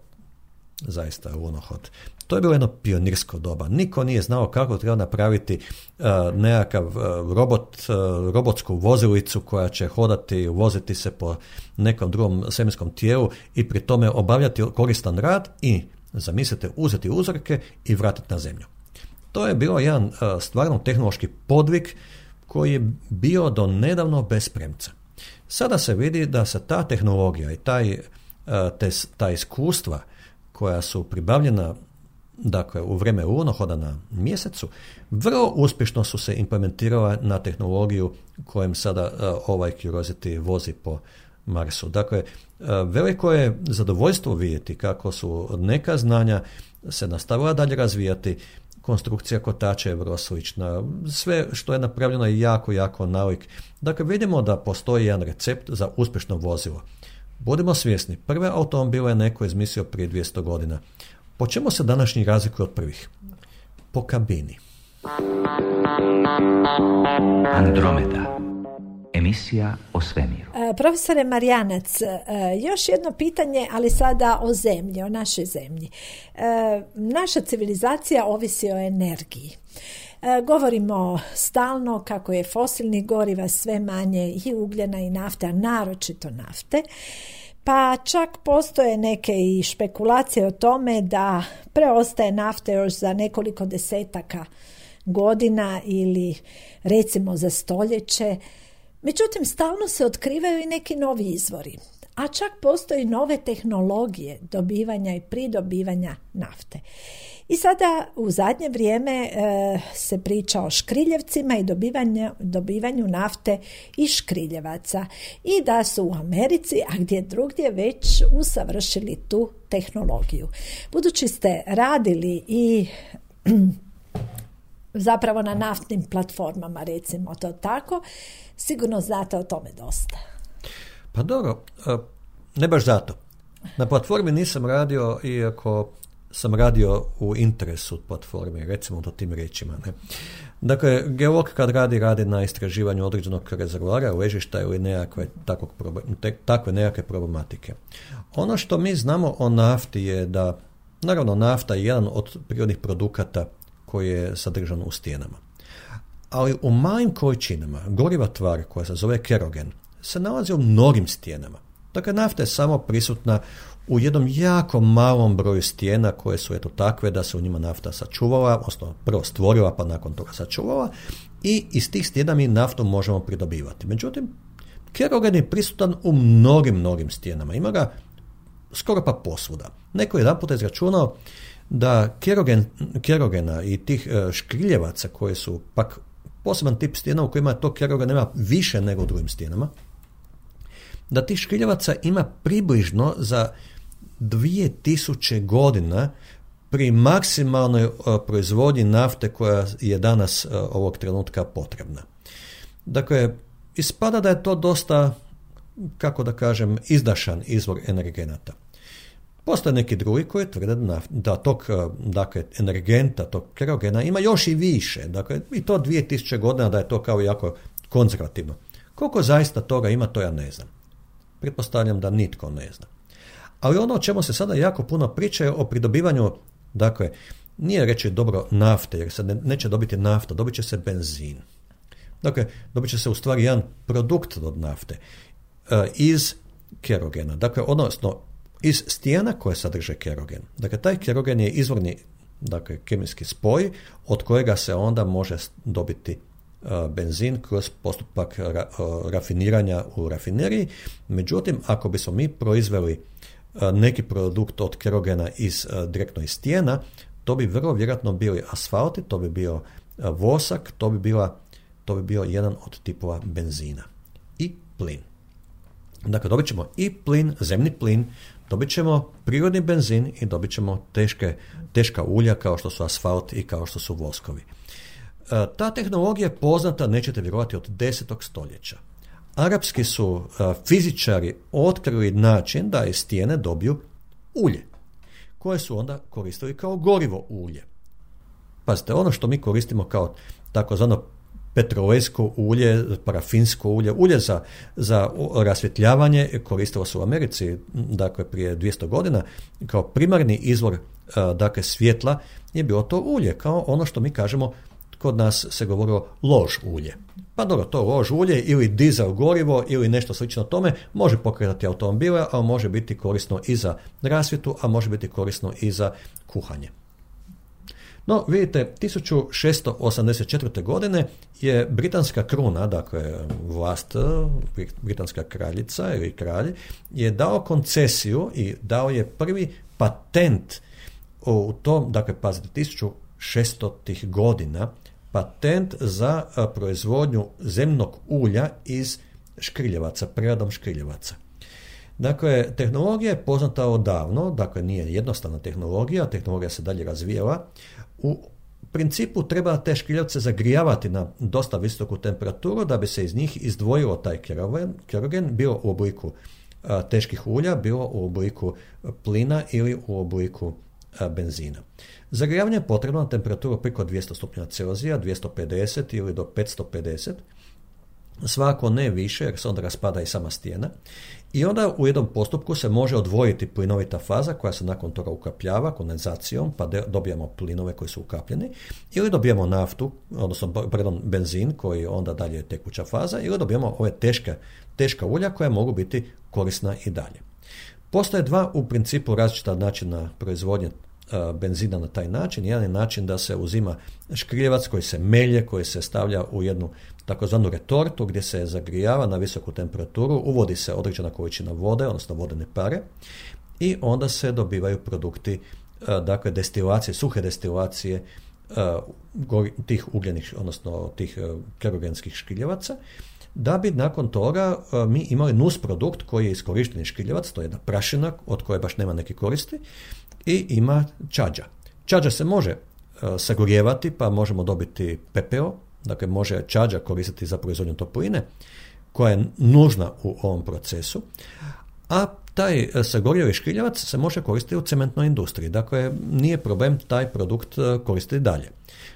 zaista lunohod, to je bilo jedno pionirsko doba. Niko nije znao kako treba napraviti uh, nekakav uh, robot, uh, robotsku vozilicu koja će hodati, voziti se po nekom drugom svemirskom tijelu i pri tome obavljati koristan rad i, zamislite, uzeti uzorke i vratiti na zemlju. To je bilo jedan uh, stvarno tehnološki podvig koji je bio do nedavno bez premca. Sada se vidi da se ta tehnologija i taj, uh, te, ta iskustva koja su pribavljena dakle u vrijeme lunohoda na mjesecu, vrlo uspješno su se implementirala na tehnologiju kojem sada uh, ovaj Curiosity vozi po Marsu. Dakle, uh, veliko je zadovoljstvo vidjeti kako su neka znanja se nastavila dalje razvijati, konstrukcija kotača je vrlo slična, sve što je napravljeno je jako, jako nalik. Dakle, vidimo da postoji jedan recept za uspješno vozilo. Budimo svjesni, prve automobile je neko izmislio prije dvjesto godina. Po čemu se današnji razlikuje od prvih? Po kabini. Andromeda. Emisija o svemiru. E, profesore Marjanac, e, još jedno pitanje, ali sada o zemlji, o našoj zemlji. E, naša civilizacija ovisi o energiji. E, govorimo stalno kako je fosilnih goriva sve manje i ugljena i nafte, a naročito nafte. Pa čak postoje neke i špekulacije o tome da preostaje nafte još za nekoliko desetaka godina ili recimo za stoljeće. Međutim, stalno se otkrivaju i neki novi izvori, a čak postoji nove tehnologije dobivanja i pridobivanja nafte. I sada u zadnje vrijeme e, se priča o škriljevcima i dobivanju, dobivanju nafte iz škriljevaca i da su u Americi, a gdje drugdje već usavršili tu tehnologiju. Budući ste radili i zapravo na naftnim platformama, recimo to tako, sigurno znate o tome dosta. Pa dobro, ne baš zato. Na platformi nisam radio, iako sam radio u interesu platforme, recimo to tim riječima. Ne? Dakle, geolog kad radi, radi na istraživanju određenog rezervoara, ležišta ili nekakve, takvog, takve nekakve problematike. Ono što mi znamo o nafti je da, naravno, nafta je jedan od prirodnih produkata koji je sadržan u stijenama. Ali u malim količinama goriva tvar koja se zove kerogen se nalazi u mnogim stijenama. Dakle, nafta je samo prisutna u jednom jako malom broju stijena koje su eto takve da se u njima nafta sačuvala, odnosno prvo stvorila pa nakon toga sačuvala i iz tih stijena mi naftu možemo pridobivati. Međutim, kerogen je prisutan u mnogim, mnogim stijenama. Ima ga skoro pa posvuda. Neko je jedan puta izračunao da kerogen, kerogena i tih škriljevaca koji su pak poseban tip stijena u kojima to kerogen nema više nego u drugim stijenama, da tih škriljevaca ima približno za dvije tisuće godina pri maksimalnoj uh, proizvodnji nafte koja je danas uh, ovog trenutka potrebna. Dakle, ispada da je to dosta, kako da kažem, izdašan izvor energenata. Postoje neki drugi koji tvrde da, da tog dakle, energenta, tog kerogena ima još i više. Dakle, i to dvije tisuće godina da je to kao jako konzervativno. Koliko zaista toga ima, to ja ne znam. Pretpostavljam da nitko ne zna. Ali ono o čemu se sada jako puno priča je o pridobivanju, dakle, nije reći dobro nafte, jer se ne, neće dobiti nafta, dobit će se benzin. Dakle, dobit će se u stvari jedan produkt od nafte uh, iz kerogena. Dakle, odnosno, iz stijena koje sadrže kerogen. Dakle, taj kerogen je izvorni, dakle, kemijski spoj od kojega se onda može dobiti benzin kroz postupak ra, rafiniranja u rafineriji. Međutim, ako bismo mi proizveli neki produkt od kerogena iz, direktno iz stijena, to bi vrlo vjerojatno bili asfalti, to bi bio vosak, to bi, bila, to bi bio jedan od tipova benzina. I plin. Dakle, dobit ćemo i plin, zemni plin, dobit ćemo prirodni benzin i dobit ćemo teške, teška ulja kao što su asfalt i kao što su voskovi. Ta tehnologija je poznata, nećete vjerovati, od desetog stoljeća. Arapski su fizičari otkrili način da iz stijene dobiju ulje, koje su onda koristili kao gorivo ulje. Pazite, ono što mi koristimo kao takozvano petrolejsko ulje, parafinsko ulje, ulje za, za rasvjetljavanje koristilo se u Americi, dakle prije dvjesto godina, kao primarni izvor dakle svjetla je bilo to ulje, kao ono što mi kažemo, kod nas se govorilo lož ulje. Pa dobro, to lož ulje ili dizel gorivo ili nešto slično tome može pokretati automobile, a može biti korisno i za rasvjetu, a može biti korisno i za kuhanje. No, vidite, tisuću šesto osamdeset četvrte. godine je britanska kruna, dakle vlast, britanska kraljica ili kralj, je dao koncesiju i dao je prvi patent u tom, dakle, pazite, tisuću šestih godina, patent za proizvodnju zemnog ulja iz škriljevaca, preradom škriljevaca. Dakle, tehnologija je poznata odavno, dakle nije jednostavna tehnologija, tehnologija se dalje razvijala. U principu treba te škriljevce zagrijavati na dosta visoku temperaturu da bi se iz njih izdvojilo taj kerogen, kerogen bilo u obliku a, teških ulja, bilo u obliku plina ili u obliku a, benzina. Zagrijavanje je potrebno na temperaturu preko dvjesto stupnjeva Celzija, dvjesto pedeset ili do petsto pedeset, svako ne više jer se onda raspada i sama stijena. I onda u jednom postupku se može odvojiti plinovita faza koja se nakon toga ukapljava kondenzacijom, pa de, dobijamo plinove koji su ukapljeni, ili dobijamo naftu, odnosno pardon, benzin koji onda dalje je tekuća faza, ili dobijamo ove teške, teška ulja koja mogu biti korisna i dalje. Postoje dva u principu različita načina proizvodnje benzina na taj način. Jedan je način da se uzima škriljevac koji se melje, koji se stavlja u jednu takozvanu retortu gdje se zagrijava na visoku temperaturu, uvodi se određena količina vode, odnosno vodene pare i onda se dobivaju produkti, dakle destilacije, suhe destilacije tih ugljenih, odnosno tih kerogenskih škriljevaca, da bi nakon toga mi imali nus produkt koji je iskorišteni škriljevac, to je jedna prašina od koje baš nema neke koristi, i ima čađa. Čađa se može uh, sagorijevati, pa možemo dobiti pepeo, dakle može čađa koristiti za proizvodnju topline, koja je nužna u ovom procesu, a taj sagorijevi škriljevac se može koristiti u cementnoj industriji, dakle nije problem taj produkt uh, koristiti dalje.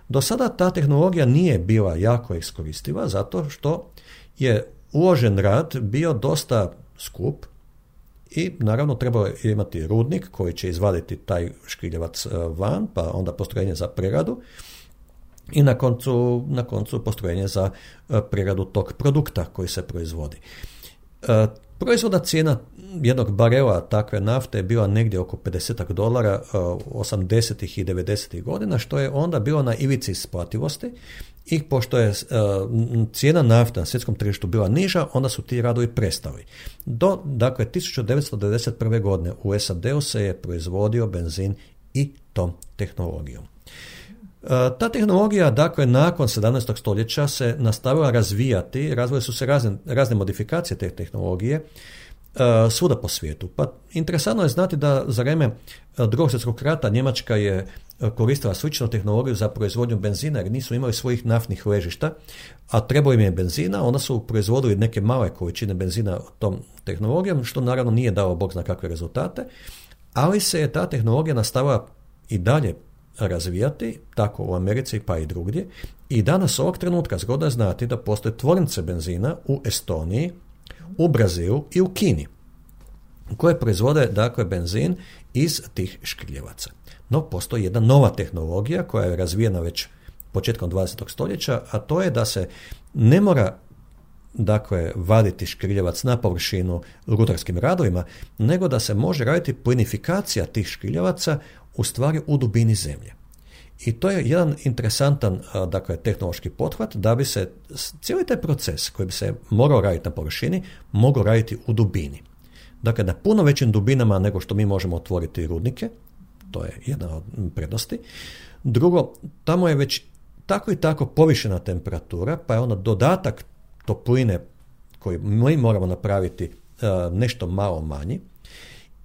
Do sada ta tehnologija nije bila jako iskoristiva, zato što je uložen rad bio dosta skup, i naravno trebalo je imati rudnik koji će izvaditi taj škriljevac van, pa onda postrojenje za preradu i na koncu, na koncu postrojenje za preradu tog produkta koji se proizvodi. Proizvodna cijena jednog barela takve nafte je bila negdje oko pedeset dolara osamdesetih i devedesetih godina, što je onda bilo na ivici isplativosti i pošto je uh, cijena nafte na svjetskom tržištu bila niža, onda su ti radovi prestali. Do, dakle, tisuću devetsto devedeset prve. godine u S A D-u se je proizvodio benzin i tom tehnologijom. Uh, ta tehnologija, dakle, nakon sedamnaestog stoljeća se nastavila razvijati, razvile su se razne, razne modifikacije te tehnologije uh, svuda po svijetu. Pa interesantno je znati da za vrijeme Drugog svjetskog rata Njemačka je koristila sličnu tehnologiju za proizvodnju benzina jer nisu imali svojih naftnih ležišta, a trebalo im je benzina, onda su proizvodili neke male količine benzina tom tehnologijom, što naravno nije dalo bog zna kakve rezultate, ali se je ta tehnologija nastavila i dalje razvijati, tako u Americi pa i drugdje, i danas ovog trenutka zgodno je znati da postoje tvornice benzina u Estoniji, u Brazilu i u Kini, koje proizvode dakle benzin iz tih škriljevaca. No, postoji jedna nova tehnologija koja je razvijena već početkom dvadesetog stoljeća, a to je da se ne mora dakle vaditi škriljevac na površinu rutarskim radovima, nego da se može raditi plinifikacija tih škriljevaca u stvari u dubini zemlje. I to je jedan interesantan dakle, tehnološki pothvat da bi se cijeli taj proces koji bi se morao raditi na površini mogao raditi u dubini. Dakle, na puno većim dubinama nego što mi možemo otvoriti rudnike, to je jedna od prednosti. Drugo, tamo je već tako i tako povišena temperatura, pa je onda dodatak topline koji mi moramo napraviti nešto malo manji.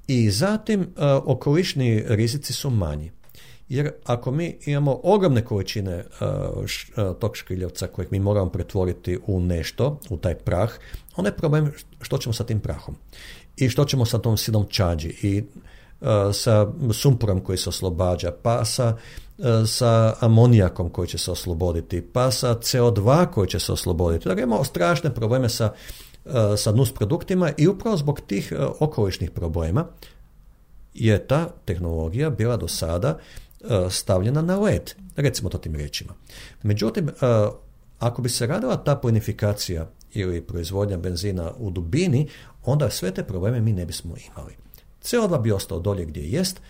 I zatim okolišni rizici su manji. Jer ako mi imamo ogromne količine uh, š, uh, tog škriljevca kojeg mi moramo pretvoriti u nešto, u taj prah, onda je problem što ćemo sa tim prahom. I što ćemo sa tom sidom čađi i uh, sa sumporom koji se oslobađa, pa sa, uh, sa amonijakom koji će se osloboditi, pa sa C O dva koji će se osloboditi. Dakle, imamo strašne probleme sa, uh, sa nus produktima i upravo zbog tih uh, okolišnih problema je ta tehnologija bila do sada stavljena na led, recimo to tim riječima. Međutim, ako bi se radila ta plinifikacija ili proizvodnja benzina u dubini, onda sve te probleme mi ne bismo imali. C O dva bi ostao dolje gdje jest,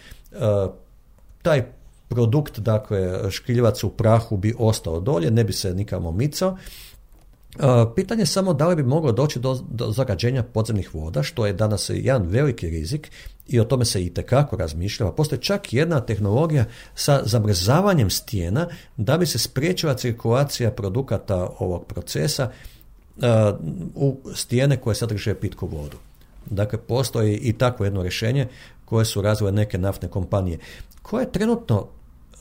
taj produkt, dakle, škriljevac u prahu bi ostao dolje, ne bi se nikamo micao. Pitanje je samo da li bi moglo doći do, do zagađenja podzemnih voda, što je danas jedan veliki rizik i o tome se itekako razmišljava. Postoji čak jedna tehnologija sa zamrzavanjem stijena da bi se spriječila cirkulacija produkata ovog procesa uh, u stijene koje sadrže pitku vodu. Dakle, postoji i takvo jedno rješenje koje su razvile neke naftne kompanije. Koja je trenutno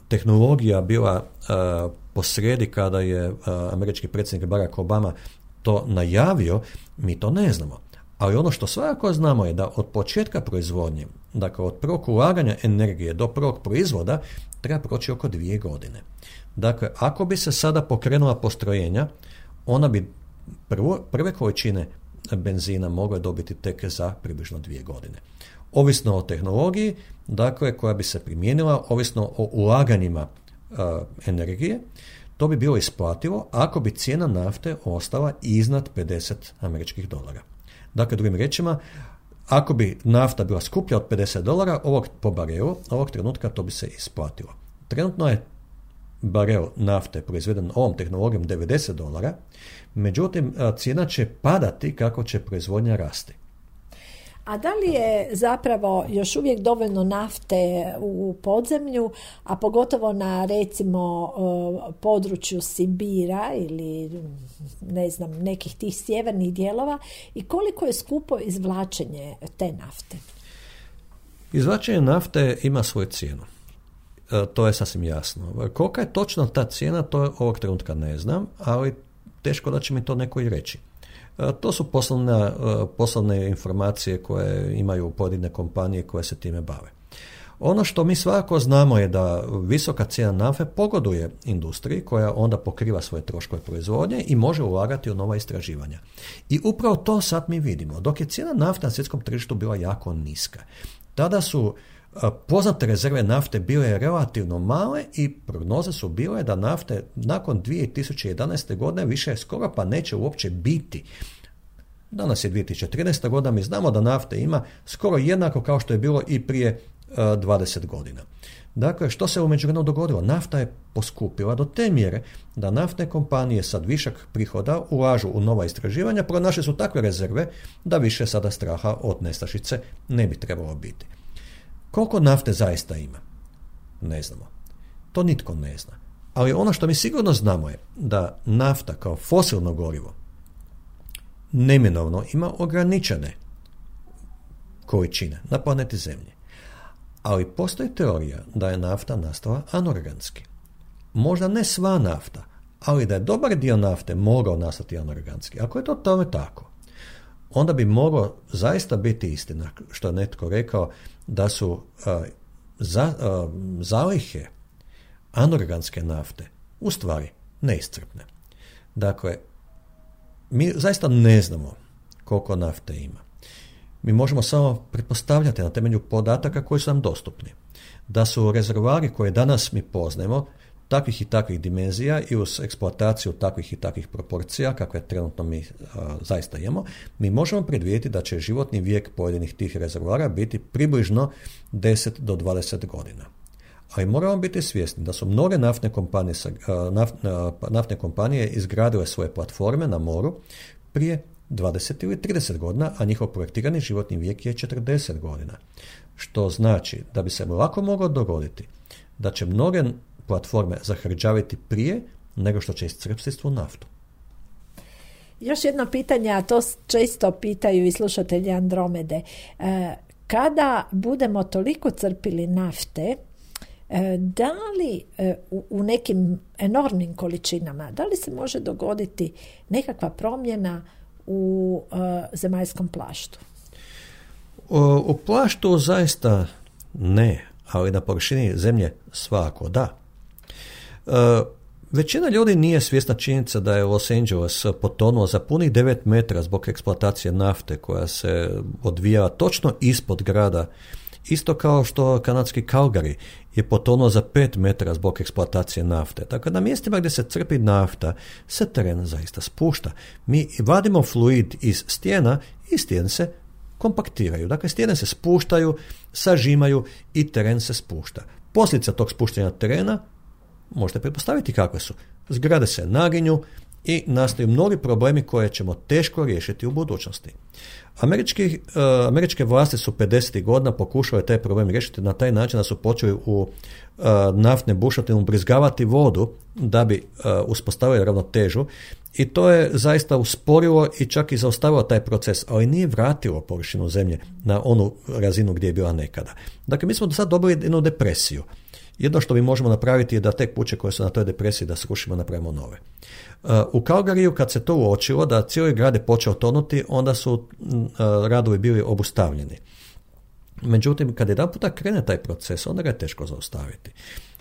tehnologija bila uh, posrijedi kada je uh, američki predsjednik Barack Obama to najavio, mi to ne znamo. Ali ono što svakako znamo je da od početka proizvodnje, dakle od prvog ulaganja energije do prvog proizvoda, treba proći oko dvije godine. Dakle, ako bi se sada pokrenula postrojenja, ona bi prvo, prve količine benzina mogle dobiti tek za približno dvije godine. Ovisno o tehnologiji, dakle, koja bi se primijenila, ovisno o ulaganjima uh, energije, to bi bilo isplativo ako bi cijena nafte ostala iznad pedeset američkih dolara. Dakle, drugim riječima, ako bi nafta bila skuplja od pedeset dolara ovog, po barelu, ovog trenutka to bi se isplatilo. Trenutno je barel nafte proizveden ovom tehnologijom devedeset dolara, međutim, cijena će padati kako će proizvodnja rasti. A da li je zapravo još uvijek dovoljno nafte u podzemlju, a pogotovo na recimo području Sibira ili ne znam nekih tih sjevernih dijelova i koliko je skupo izvlačenje te nafte? Izvlačenje nafte ima svoju cijenu. E, to je sasvim jasno. Kolika je točno ta cijena, to ovog trenutka ne znam, ali teško da će mi to neko i reći. To su poslovne, poslovne informacije koje imaju pojedine kompanije koje se time bave. Ono što mi svakako znamo je da visoka cijena nafte pogoduje industriji koja onda pokriva svoje troškove proizvodnje i može ulagati u nova istraživanja. I upravo to sad mi vidimo. Dok je cijena nafte na svjetskom tržištu bila jako niska, tada su poznate rezerve nafte bile relativno male i prognoze su bile da nafte nakon dvije tisuće jedanaeste. godine više skoro pa neće uopće biti. Danas je dvije tisuće trinaesta. godina, mi znamo da nafte ima skoro jednako kao što je bilo i prije uh, dvadeset godina. Dakle, što se u međuvremenu dogodilo? Nafta je poskupila do te mjere da naftne kompanije sad višak prihoda ulažu u nova istraživanja, pronašle su takve rezerve da više sada straha od nestašice ne bi trebalo biti. Koliko nafte zaista ima? Ne znamo. To nitko ne zna. Ali ono što mi sigurno znamo je da nafta kao fosilno gorivo neminovno ima ograničene količine na planeti Zemlji. Ali postoji teorija da je nafta nastala anorganski. Možda ne sva nafta, ali da je dobar dio nafte mogao nastati anorganski. Ako je to tome tako, onda bi moglo zaista biti istina, što je netko rekao, da su uh, za, uh, zalihe anorganske nafte u stvari neiscrpne. Dakle, mi zaista ne znamo koliko nafte ima. Mi možemo samo pretpostavljati na temelju podataka koji su nam dostupni. Da su rezervoari koje danas mi poznajemo takvih i takvih dimenzija i uz eksploataciju takvih i takvih proporcija kakve trenutno mi a, zaista imamo, mi možemo predvidjeti da će životni vijek pojedinih tih rezervoara biti približno deset do dvadeset godina. Ali moramo biti svjesni da su mnoge naftne kompanije, naft, naftne kompanije izgradile svoje platforme na moru prije dvadeset ili trideset godina, a njihov projektirani životni vijek je četrdeset godina. Što znači da bi se lako moglo dogoditi da će mnoge platforme zahrđaviti prije nego što će iscrpiti svu naftu. Još jedno pitanje, a to često pitaju i slušatelji Andromede. Kada budemo toliko crpili nafte, da li u nekim enormnim količinama, da li se može dogoditi nekakva promjena u zemaljskom plaštu? U, u plaštu zaista ne, ali na površini zemlje svakako da. E, većina ljudi nije svjesna činjenica da je Los Angeles potonuo za punih devet metara zbog eksploatacije nafte koja se odvijala točno ispod grada, isto kao što kanadski Calgary je potonuo za pet metara zbog eksploatacije nafte. Dakle, na mjestima gdje se crpi nafta se teren zaista spušta. Mi vadimo fluid iz stijena i stijene se kompaktiraju. Dakle, stijene se spuštaju, sažimaju i teren se spušta. Posljedica tog spuštanja terena možete pretpostaviti kakve su. Zgrade se naginju i nastaju mnogi problemi koje ćemo teško riješiti u budućnosti. Američki, uh, američke vlasti su pedesetih godina pokušale taj problem riješiti na taj način da su počeli u uh, naftne bušotine ubrizgavati vodu da bi uh, uspostavili ravnotežu i to je zaista usporilo i čak i zaustavilo taj proces, ali nije vratilo površinu zemlje na onu razinu gdje je bila nekada. Dakle, mi smo do sad dobili jednu depresiju. Jedno što mi možemo napraviti je da te kuće koje su na toj depresiji da srušimo, napravimo nove. U Calgaryju kad se to uočilo da cijeli grad je počeo tonuti, onda su radovi bili obustavljeni. Međutim, kad jedan puta krene taj proces, onda ga je teško zaustaviti.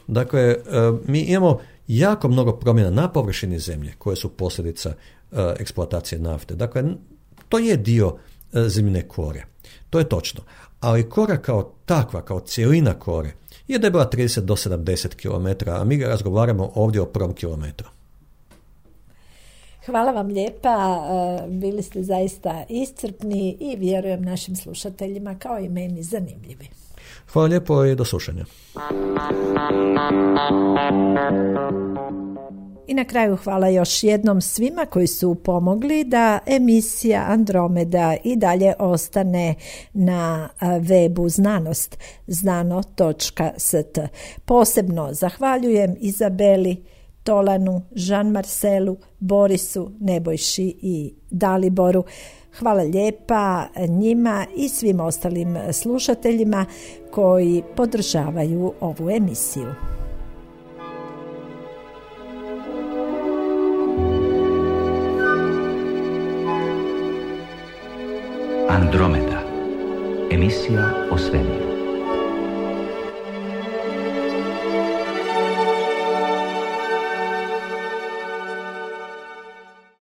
Dakle, mi imamo jako mnogo promjena na površini zemlje koje su posljedica eksploatacije nafte. Dakle, to je dio zemljine kore. To je točno. Ali kora kao takva, kao cijelina kore, je debela trideset do sedamdeset kilometara, a mi ga razgovaramo ovdje o prvom kilometru. Hvala vam lijepa, bili ste zaista iscrpni i vjerujem našim slušateljima kao i meni zanimljivi. Hvala lijepo i do slušanja. I na kraju hvala još jednom svima koji su pomogli da emisija Andromeda i dalje ostane na webu znanost, znano točka s t. Posebno zahvaljujem Izabeli, Tolanu, Jean-Marcelu, Borisu, Nebojši i Daliboru. Hvala lijepa njima i svim ostalim slušateljima koji podržavaju ovu emisiju. Andromeda, emisija o svemiru.